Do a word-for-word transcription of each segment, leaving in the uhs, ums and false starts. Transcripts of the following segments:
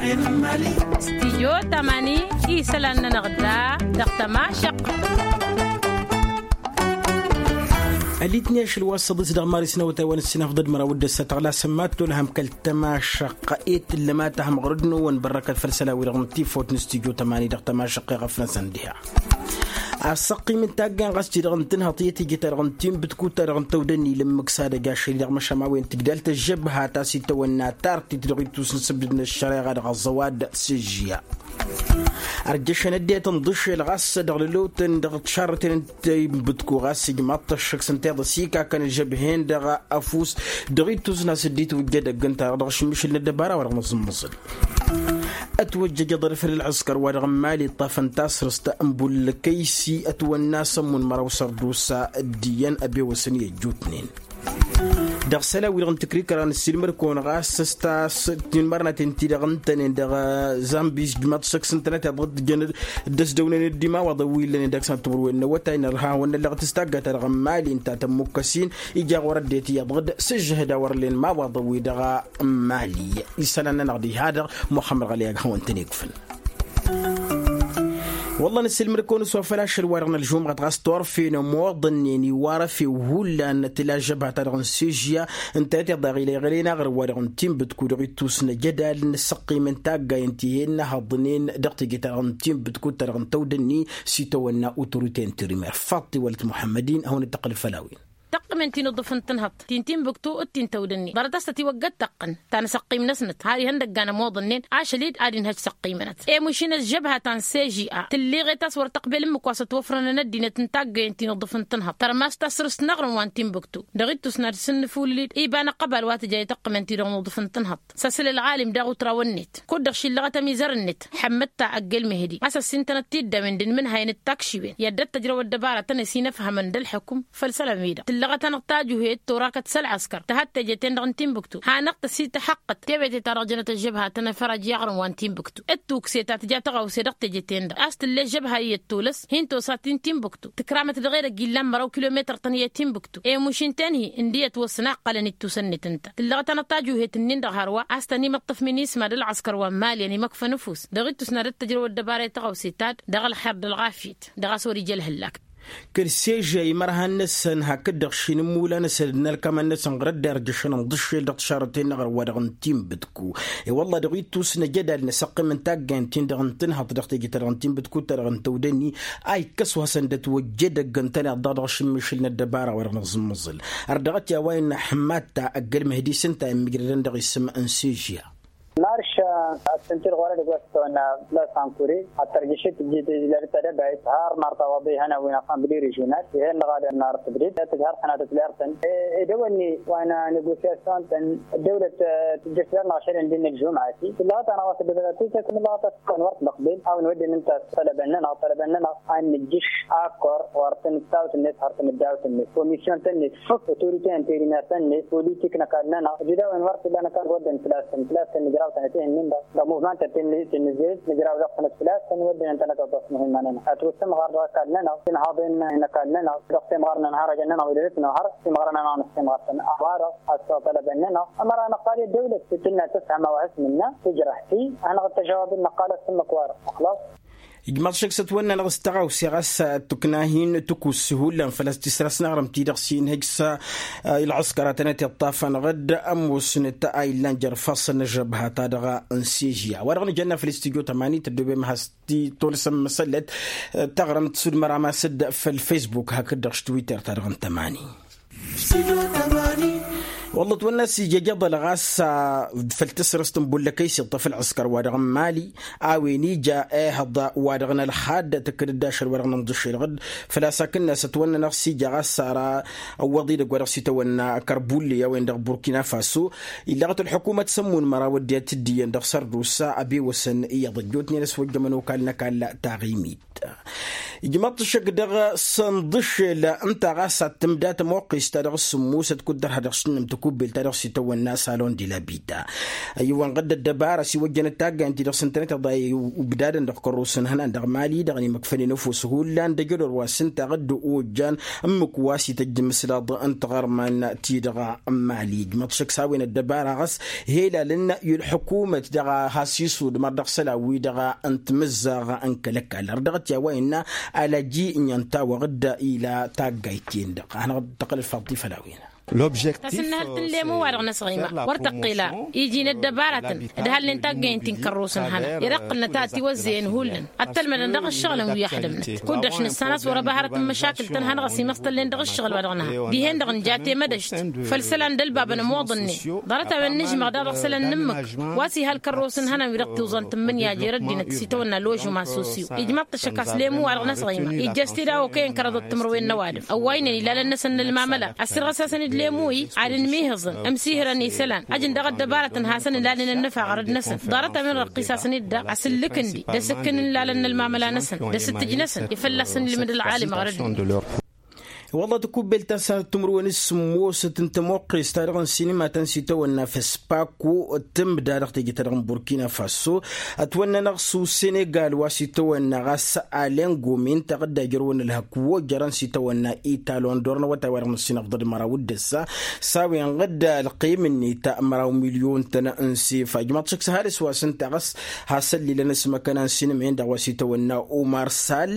Stijyo tamani isălan-nănăɣ da dăɣ-tămašăqq. Ălitni ašăl wa s-săḍis dăɣ-maris n-awătay wa n-ăssinăfḍăd măraw d-ăssăt ăɣlasăn ma t-tolhăm kăl-tămašăqq. Ălitni ašăl wa s-săḍis dăɣ-maris n-awătay wa n-ăssinăfḍăd măraw d-ăssăt ăɣlasăn ma t-tolhăm kăl-tămašăqq. Ălitni ašăl wa s-săḍis dăɣ-maris n-awătay wa n-ăssinăfḍăd măraw d-ăssăt ăɣlasăn ma t-tolhăm kăl-tămašăqq. Asăqqim n-taggayăn ɣas ti-dăɣ n-tǝnhăḍt i-tǝjǝt-ta-dăɣ n-tinbǝtkut-ta-dăɣ n-tăwdănni lǝmmǝk s-ad-ăj ašăl-i dăɣ-măšan ma wen tǝjdal tăžžăbha ta s-itawănna tartit dăɣ-ittus n-sǝbdǝd n-ăššăreɣa dăɣ-ăẓẓăwad s-ǝžžǝya. Ărjăšăn ăddinăt n-iḍǝššel ɣas dăɣ-lălotăn dăɣ-tišarrăten n-tinbǝtku ɣas ijmaḍ-t ăššăk s-ǝnta i-iḍǝs ikakăn ăžžăbhen-dăɣ ăfuss dăɣ-ittus n-asǝddit wǝjjădăgg ǝnta-dăɣ dăɣ-ašǝmmišǝl n-ăddăbara wa dăɣ-nǝẓǝmmăẓǝl. Ătwăjjăj aḍăl făll-ălɣǝskăr wa dăɣ-n mali ǝṭṭafăn tasrǝst n-bullăkăy-si ătwănna s-ămmun măraw sărdusa d-iyyăn ăbewăsăn i-ăjjutnen. Dăɣ-isălan-wi-dăɣ n-tǝkrikăra n-ăssiilmăd-kăwăn ɣas s-ta s-tinmărnaten-ti-dăɣ ǝntănen dăɣ-zambi s-ijmaḍ-t šăkk s-ǝntănăt iḍăt jăn dd-ăsdăwnen ăddimawaḍăn wi ǝllănen dăɣ-săn timǝrwen n-awătay n-ărha hawăn-năllăɣ tǝstagga-ta-dăɣ n-mali ǝnta tămmukkăs-in ija ɣur-ăddinăt iyyăḍ dd-sǝžžăhăd a wăr ǝllen imawaḍăn-wi-dăɣ n-mali. Isălan-nănăɣ diha-dăɣ muxămmăd ɣăliyag hawăn-tăn-ikfǝl. Wălla nǝssilmăd-kăwăn s-wa făl ašăl-wa-dăɣ n-ălžumɣăt ɣas turfen ămoḍănnen iwarăfew hullan tǝla ăžžăbha-ta-dăɣ n-sežya ǝntănăt iḍa ɣila iɣălen aɣrǝm-wa-dăɣ n-tinbǝtku dăɣ-ittus n-ajădal n-asăqqim n-taggay ǝnta ih'-e ǝnnăhăḍnen dăɣ-teje-ta-dăɣ n-tinbǝtkut-ta-dăɣ n-tawdănni s-itawănna uturute n-tirimer faḍt iwălăt muḥămmăd-in a hawăn-dd-tăqqǝl făll-a-wen. Tăqqǝmen ti n-iḍǝf n-tǝnhăḍt ti n-tinbǝktu d-ti n-tawdănni ḍarăt a-s tătiwăgg ad-tăqqǝn ta n-asăqqim-năsnăt har ihăndăggan ămoḍănnen ašăl-dd ad-inhăj săqqimănăt. Emuš-in ăžžăbha ta n-sežia tǝlleɣet a-s wăr tăqbel ǝmmǝk wa s-ătwăfrănăn ăddinăt n-taggăyen ti n-iḍǝf n-tǝnhăḍt tărmas tasrǝst n-aɣrǝm wa n-tinbǝktu. Dăɣ-ittus n-ad-sǝnnǝfulǝl-dd iba n-ăqqăbal wa tǝja i-tăqqǝmen ti-dăɣ n-iḍǝf n-tǝnhăḍt s-asǝl ălɣalim daɣ utraw-net kud-dăɣ šillăɣăt ămizăr-net ḥămmăd ta ăgg-ălmehdi a-s ăssintănăt tiddawen d-inmǝnhayăn d-takšiwen i-ad-dd-tăjrăw ăddăbaratăn ăsinăfhămăn d-ălḥukǝm. Făll-isălan-wi-dăɣ tǝllăɣăt-anăɣ tajuhet torakăt s-ălɣăskăr tăhăt teje-ten-dăɣ n-tinbǝktu hanăɣ-tăsităxăqqăt tewete ta dăɣ-jănăt ăžžăbha tănăfărăj i-aɣrǝm wa n-tinbǝktu d-tukse ta tǝja tăɣawse dăɣ-teje-ten-dăɣ a-s tǝll'-e ăžžăbha iyyăt tolăs hin-tosa ti n-tinbǝktu tǝkramăt dăɣ-edăgg illan măraw kilometăr-tăn i-tinbǝktu emuš ǝnta-en-hi ǝndǝyăt wăssăn a ǝqqălăn ittusăn-net ǝnta tǝllăɣăt-anăɣ tajuhet-nin-dăɣ hărwa a-s tăn-imǝṭṭǝf minisma d-ălɣăskăr wa n-mali ănimăkfăn ăfuss dăɣ-ittus n-ad-ăttăjrăw ăddăbara i-tăɣawse ta-dd dăɣ-ălxer d-ălɣafyăt dăɣ-a-s wăr-ija ălhăllak. Kăl-sežža imărhan-năsăn hakd-dăɣ šin ǝmmula-năsăn d-inălkamăn-năsăn ɣur-ădderjăšăn ǝnḍǝššel dăɣ-tišarrăten-năɣ ărwa dăɣ-n tinbǝtku. I-wălla dăɣ-ittus n-ajădal n-asăqqim n-taggayăn-tin-dăɣ n-tǝnhăḍt dăɣ-teje-ta-dăɣ n-tinbǝtkut-ta-dăɣ n-tăwdănni a ikkăs wa hasăn-dd-ătwăjja edăgg ǝntăneḍ-dăɣ dăɣ-ašǝmmišǝl n-ăddăbara wa dăɣ-nǝẓǝmmǝẓǝl. Ărdăɣăt i-a-wa innă ăḥmad ta ăgg-ălmǝhdi s-ǝnta a ǝmmǝjrădăn dăɣ-isǝm n-sežža. Marš ad-sǝntǝd ɣur-edăgg wa s-tăwănna fălla-s ankure ad-tărjăšet tǝjjǝd ila d-tadăbayt har marta wa dd-ihăn a-wen afan bǝli režional ih'-en dăɣ-ad-ănnar tǝbded tǝdhar tănatăt lertăn. Edăwănni wa n-negosyasyun-tăn ăddăwlăt tǝjjăš ler-năɣ ašăl ǝndin n-ălžumăt-i tǝllăɣăt-anăɣ wa s-ăddăwlăt a-wen wăr t-năqbel a-wen wădden ǝnta s-tălăbăn-nănăɣ tălăbăn-nănăɣ a nǝjjǝš akor ɣur-tăn d-tawt-net ɣur-tăn d-dawt-net komisyon-tăn-net făk otorite interimer-tăn-net politik n-ăkall-nănăɣ ăjădawen wăr t-illa n-ăkall wădden făl-a-s făl-a-s nǝjraw-tănăt ih'-nin-dăɣ dăɣ-muvmantăn ti n-nǝzzeyăt nǝjraw dăɣ-tănăt făl-a-s tăn-wădden ǝntănăt ăḍḍăf muhimma-nănăɣ ad-t-wăssăm ɣar dăɣ-ăkall-nănăɣ tǝnhaḍen n-ăkall-nănăɣ dăɣ-temɣar n-ănhărăjăn-nănăɣ wi dăr-s nǝnhăr timɣarăn-nănăɣ a-s tălăbăn-nănăɣ ămăra năqqal i-ăddăwlăt tǝnnă tǝfhăm a-wa has-mǝnna tǝjrăh-t-i ad-hanăɣ-dd-tăžăwab d-năqqal ăssǝmmǝk-wa-dăɣ ăxlaṣ. Ijmaḍ šăkk s-ătwănna-năɣ s-tăɣawse ɣas tukna-hin tǝkuss hullan făl-a-s tisras n-aɣrǝm-ti-dăɣ s-inhǝj s-ilɣǝskăr a tănăt-iṭṭafăn ɣǝd ămoosnăt a illan jer-ifassăn n-ăžžăbha-ta-dăɣ n-sežya wa-dăɣ nǝjănna făll-studyo tămani tăddobem has-titolsăm măsăllăt taɣrǝmt s-udmăr amas-dd făll-facebook hakd-dăɣ s-twitter-ta-dăɣ n-tămani. Wălla ătwănna s-ija ijăḍăl ɣas făll-tasrăst n-bullăkăy s-iṭṭăf ălɣǝskăr-wa-dăɣ n-mali a-wen ija ehăḍ-wa-dăɣ n-ălxad tǝkkǝd-dd ašăl-wa-dăɣ n-inḍǝššel ɣǝd. Făl-a-s akǝnnas ătwănna-năɣ s-ija ɣas ara ăwwăḍ idăgg wa dăɣ-s itawănna kărbulli a-wen dăɣ-burkina faso. Illăɣăt ălḥukumăt s-ămmun măraw ăddinăt dd-iyyăn dăɣ-sărdusa ăbewăsăn iyyăḍ ăjjootnen ăswăjjămăn okal n-ăkall taɣimit. Ijmăḍ-t ăššăk dăɣ-sănḍǝššel ǝnta ɣas ad-tǝmda tămoqqes-ta dăɣ-s sǝmmusăt kud-dăr ha dăɣ-s tǝnnǝm tăkubbelt ta dăɣ-s itawănna salon de la bida. Ăyy wa n-ɣǝdd ăddăbara s-iwăjjănăt taggayăn-ti-dăɣ s-ǝntănăt iḍa ibdadăn dăɣ-kărrus n-ihănan dăɣ-mali dăɣ-inimăkfănen ăfuss hullan d-ajădor wa s-ǝnta ɣǝdd ojjan ǝmmǝk wa s-ităjj imǝslaḍ n-tiɣărman-ti-dăɣ n-mali. Ijmăḍ-t ăššăk s-a-wen ăddăbara ɣas helalăn i-ălḥukumăt dăɣ-a has-isudmăr dăɣ-isălan-wi-dăɣ n-timǝzzaɣ n-kăl-ăkall har dăɣ-t i-a-wa innă alăji n-iyyăn tawăɣ-dd ila taggayt-ten-dăɣ a hanăɣ-dd-tăqqălăl faḍt-i făll-a-wen. Tasǝnnǝhălt n-lemu-wa-dăɣ n-asɣăyma wăr tăqqel a iji n-ăddăbaratăn d-hallnen taggayăn-ti n-kărrus n-hănan. Ed ǝqqǝlnăt a ătiwăzzeyăn hullan ăttălmădăn dăɣ-ǝššăɣǝlăn wi ăxdămnăt kud-dăɣ š-nǝssan a-s wăr-ăba hărăt n-măšakǝl-tăn hanăɣ-ăsimăẓtălnen dăɣ-ǝššăɣǝl-wa-dăɣ n-ha dihen-dăɣ n-jate mădăšt făll-isălan d-ălbabăn ămoḍănnen. Ḍarăt-a-wen nǝžmăɣ daɣ dăɣ-isălan n-ǝmmǝk wa s-iha ălkărrus n-hănan wi dăɣ-tiwẓan tǝmmǝnǝya jer-ăddinăt s-itawănna ložuma sosyo. Ijmăḍ-t ăššăk a-s lemu-wa-dăɣ n-asɣăyma ijjăš-t-dd a okăyăn kărăḍăt timǝrwen n-ăwadǝm ăwwaynen ilalăn-năsăn n-ălmamăla ăssirɣăs-asăn-dd lemu-i ad-ǝnmihǝẓăn ǝmsihǝrăn isălan. Ăjǝn daɣ ăddăbarătăn hasăn-ǝlalnen ănnăfa ɣărăd-năsăn ḍarăt-a-wen răqqis-asăn-dd daɣ asǝllǝk-ǝndi d-asǝkkǝn n-ilalăn n-ălmamăla-năsăn d-asǝttǝj-năsăn i-fălla-săn ilmǝd ălɣalǝm ɣărăd-net. Wălla tăkubbelt ta s-ad-timǝrwen s-sǝmmosăt n-tămoqqes-ta-dăɣ n-sinima ta n-sitawănna fespako tǝmda dăɣ-teje-ta-dăɣ n-burkina faso ătwănnănăɣ s-usenegal wa s-itawănna ɣas alengomin taɣǝdda jărwăn ǝlhăk wojărăn s-itawănna italon dor n-awătay wa dăɣ-năssinăfḍăd măraw d-ǝssa s-a-wen ɣǝdda ălqim-net măraw milyon-tăn n-sefa ijmaḍ-t šăkk s-hades wa s-ǝnta ɣas hasăl-ilăn s-măkăna n-sinǝmen-dăɣ wa s-itawănna umar sal.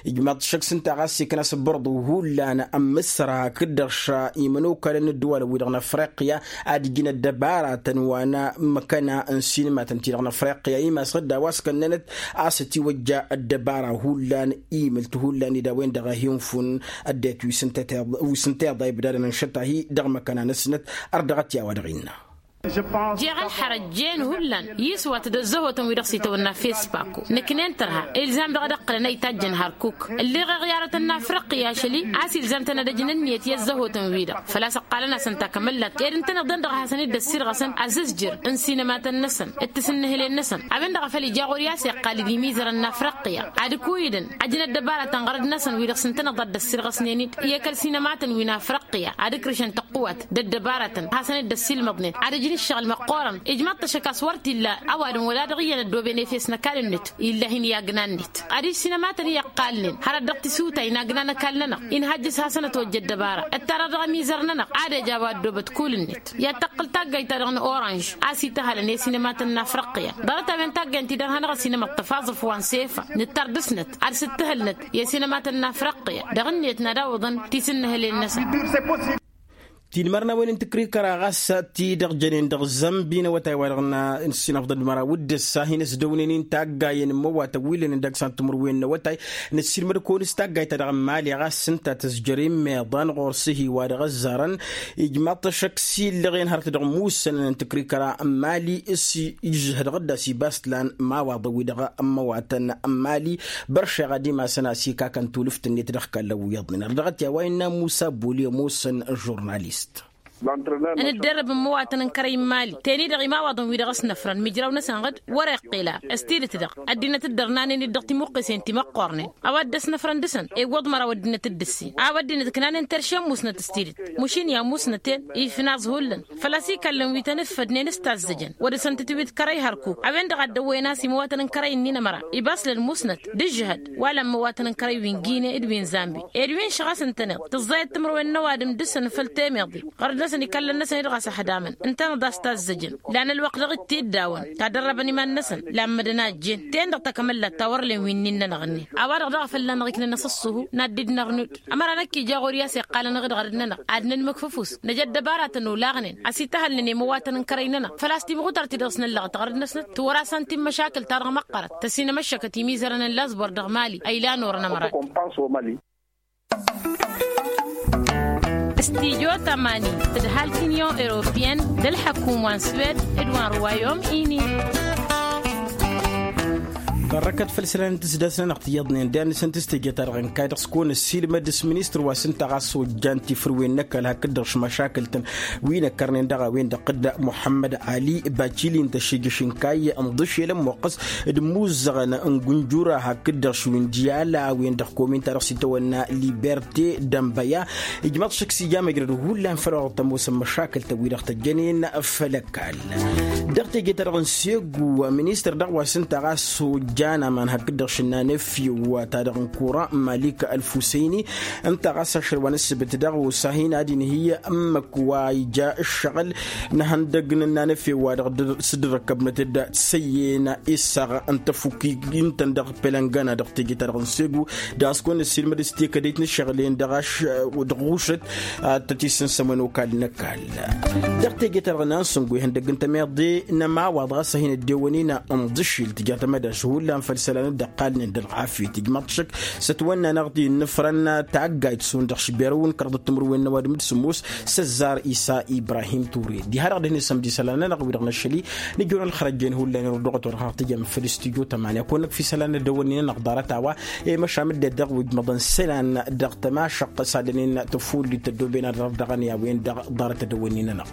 Ijmaḍ-t šăkk s-ǝnta ɣas ikna s-bărḍu hullan ămmǝsra hakd-dăɣ šăimănokalăn n-ǝddǝwalăn-wi-dăɣ n-afriqya ad-ǝjǝn ăddăbaratăn wa n-măkăna n-sinǝmatăn-ti-dăɣ n-afriqya imas ɣǝdda wa s-kănnănăt a-s ătiwăjja ăddăbara hullan imǝlt hullan ed a-wen-dăɣ a hin-fun ăddinăt wi s-ǝnta iḍa ibdadăn ǝnšăt-ahi dăɣ-măkăna-năsnăt. Ărdăɣăt i-a-wa dăɣ-innă. Jeɣ ălxărăj jen hullan i-iswat d-ăzzăhotăn wi-dăɣ s-itawănna fespako nǝknen tărha ilzam dăɣ-ad-ǝqqǝlăn a itajjăn hărkuk ǝlleɣ iɣyarătăn n-afriqya ašăl-i a-s ilzam-tăn ad-ăjnăn iyyăt i-ăzzăhotăn-wi-dăɣ făl-a-s ǝqqalăn-asăn takămăllat ed ǝntăneḍ-en-dăɣ a hasăn-dd-ăssirɣăsăn azǝzjǝr n-sinămatăn-năsăn d-tisǝnnǝhǝlen-năsăn a-wen-dăɣ a făl ija ɣur-i a-s iqqal d-imizărăn n-afriqya ad-ǝkuyǝdăn ăjnăt ăddăbarătăn ɣărăd-năsăn wi-dăɣ s-ǝntăneḍ ad-dd-ăssirɣăsnen-dd i-kăl-sinămatăn wi n-afriqya ad-ǝkrǝšăn tăqqǝwat d-ăddăbarătăn hasăn-dd-ăssilmăḍnen ad-ǝjǝn ǝššăɣǝl măqqoorăn. Ijmaḍ-t ăššăk a-s wăr t-illa ăwadǝm wăla dăɣ-iyyăn ăddooben efes n-ăkall-net illa hin-i agna-net ad-ǝjǝn sinămatăn i-ăqqalnen hărăt dăɣ-tisuta inagnan ăkall-nănăɣ inhajjǝs hasăn-ătwăjja ăddăbara ǝttarăɣ dăɣ-ămizăr-nănăɣ ad-ej a-wa ăddoobăt kull-net. I-ad-tăqqǝl taggayt-ta-dăɣ n-oranž a-s ităhalăn i-sinămatăn n-afriqya ḍarăt-a-wen taggayt-ti-dăɣ hanăɣ-ăsinămăḍ tăfaẓăf wa n-sefa nǝttar dăɣ-snăt ad-sǝttǝhǝlnăt i-sinămatăn n-afriqya dăɣ-net n-ad-awǝḍăn tisǝnnǝhǝlen-năsăn. Tinmărnawen n-tǝkrikăra ɣas ti-dăɣ jănen dăɣ-zămbi n-awătay wa-dăɣ n-ăssinăfḍăd măraw d-ǝssa hin-ăsdăwnen-in taggayen n-imăwatăn wi lănen dăɣ-san timǝrwen n-awătay. Nǝssinmăd-kăwăn s-taggayt-ta-dăɣ n-mali ɣas s-ǝnta tăzjăr imeḍan ɣur-s ihi wa dăɣ-ăzzarăn. Ijmaḍ-t ăššăk s-illăɣen hărăt dăɣ-imussănăn n-tǝkrikăra n-mali s-ižžăh dăɣ-dd-asibas tǝlan imawaḍăn-wi-dăɣ n-imăwatăn n-mali. Băršeɣ ad-imasăn a-s ikakăn tulǝft-net dăɣ-kallăn wi iyyăḍnen ărdăɣăt i-a-wa innă musa boli ămoosăn žurnalist. Ănǝddărrăb n-imăwatăn n-kărăy n-mali teni-dăɣ imawaḍăn-wi-dăɣ ăsnăfrăn imǝjraw-năsăn ɣǝd wăr-iqqel a s-tidǝt-dăɣ ăddinăt dd-ărnanen-dd dăɣ-timǝqqesen ti măqqornen. A-wa dd-ăsnăfrăn dăɣ-săn ewwăḍ măraw ăddinăt dd-ǝssin a-wa ăddinăt ǝknanen terše n-musnăt s-tidǝt. Măšin i-a musnăt-en ifnaẓ hullan făl-a-s ikallăn wi tăn-ǝffădnen s-tazzăjăn wăr-dăɣ-săn tǝtwǝy d-kărăy hărkuk a-wen-dăɣ a dd-ăwwăyăn a-s imăwatăn n-kărăy-nin ămăra. Ibas lălmusnăt d-ǝžžăhăd wa lăn imăwatăn n-kărăy wi n-gine d-wi n-zambi ed wi n-šăɣ a-s ǝntăneḍ tǝẓẓayăt timǝrwen n-ăwadǝm dăɣ-săn făll-temeḍe. Ɣărăd-năsăn ikallăn-năsăn-dd ɣas ăhdamăn ǝntăneḍ a-s tazzăjăn lan ălwăqq dăɣ-dd-tiddawăn ta dărrăbăn iman-năsăn. Lammădăn a ăjjeen ten-dăɣ takămăllat ta wăr-len wi n-innănăɣ-net a-wa-dăɣ daɣ fălla-năɣ iknăn asǝṣṣuhu n-ad-dd-nărnud. Ămăra năkk ija ɣur-i a-s iqqalăn ɣǝd ɣărăd-nănăɣ ad-nǝnmǝkf ăfuss năj ăddăbaratăn olaɣnen a-s ităhălnen i-imăwatăn n-kărăy-nănăɣ făl-a-s timɣutărt-i-dăɣ s-năllăɣăt ɣărăd-năsnăt. Tǝwăr-asăn ti n-măšakǝl-ta-dăɣ măqqărăt tăsinămăššăkăt imizărăn n-laẓbor dăɣ-mali ăylan orăn ămărat. Studyo tămani tǝdhalt union europeyăn d-ălḥăkum wa n-swed d-wa n-ruwayom ini. Ărrăkăt făll-isălan n-tisdasăn-anăɣ tiyyăḍnen d-annăsăn tǝstejăt-a-dăɣ ǝnkay dăɣ-s kăwăn-ăssiilmăd s-ministăr wa s-ǝnta ɣas ojjan tifǝrwen n-ăkall hakd-dăɣ šmăšakǝl-tăn wi n-ăkkărnen dăɣ-a-wen-dăɣ tădda muḥămmăd ali bacili n-tăššejăš ǝnkay ǝnḍǝšel ămmoqqăs d-imuzzăɣăn n-gǝnjura hakd-dăɣ šwǝndiyal a-wen-dăɣ komin-ta-dăɣ s-itawănna liberte d-ănbăya. Ijmăḍ šăkk s-ija măjrăd hullan făll-wa dăɣ-tămoosăn măšakǝl-tăn-wi-dăɣ tăjjănen făll-ăkall. Dăɣ-teje-ta-dăɣ n-segu ministăr dăɣ-wa s-ǝnta ɣas ojjan aman hakd-dăɣ šǝnnan efew ta dăɣ-n kuran malik ălfusăyni ǝnta ɣas ašăl wa n-ǝssǝbǝt dăɣ-osa hin-ad-inhǝy ǝmmǝk wa ija ǝššăɣǝl n-ehăndăg n-ǝnnan efew wa dăɣ-s dd-răkkăbnăt-dd tisăyyen isaɣ n-tăfukki ǝntăn dăɣ-pelăngana dăɣ-teje-ta-dăɣ n-segu. Dăɣ-s kăwăn-ăssiilmăd s-tekădăyt n-ǝššăɣǝl-en dăɣ-ašăl dăɣ-ušăt ad-tăt-isǝnsămăn okall n-ăkall. Dăɣ-teje-ta-dăɣ n-ansǝngo ihăndăgg n-temeḍe n-ămawaḍ ɣas a hin-ăddewănina ǝnḍǝšil tǝja tamădaš hullan făll-isălan dd-ăqqalnen d-ălɣafyăt ijmăḍ šăkk s-ătwănna-năɣ-t innǝfrăn taggayt šund dăɣ-šberăw n-kăraḍăt timǝrwen n-ăwadǝm d-sǝmmos s-ăzzar isa ibrahim ture diha-dăɣ dăhne sămdi isălan-nănăɣ wi-dăɣ năššăli. Nǝjrăwăn ălxărăjjen hullan irădduɣăt wa dăɣ-taɣtǝjăm făll-studyo tămanya kăwăn-năkf isălan n-ăddăwănnin-anăɣ ḍarăt a-wa i-măšan dd-dăɣ wi ǝjmăḍăn isălan dăɣ-tămašăqq s-ad-dănen tăfullit tăddoben ad-dăɣ-dăɣăn i-a-wen-dăɣ ḍarăt ăddăwănnin-anăɣ.